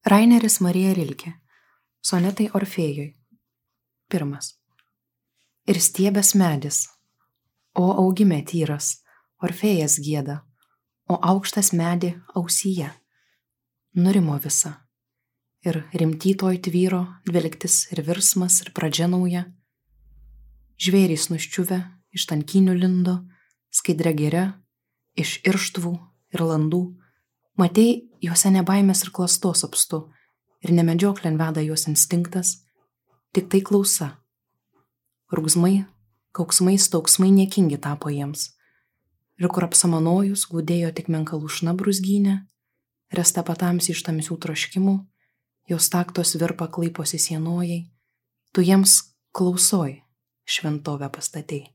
Raineris Marija Rilkė. Sonetai Orfėjui. 1. Ir stiebės medis, o augime tyras, Orfėjas gieda, o aukštas medį ausyje. Nurimo visa. Ir rimtytoj tvyro dvelgtis ir virsmas ir pradžia nauja. Žvėrys nuščiuvę iš tankinių lindo, skaidria giria, iš irštvų ir landų. Matei, juose nebaimės ir klastos apstu, ir nemedžioklėn veda juos instinktas, tik tai klausa. Rūgzmai, kauksmai, stauksmai niekingi tapo jiems. Ir kur apsamanojus glūdėjo tik menka lūšna brūzgynė, resta patamsi iš tamsių troškimų, jos taktos virpa klaiposi sienojai, tu jiems klausoj šventovę pastatei.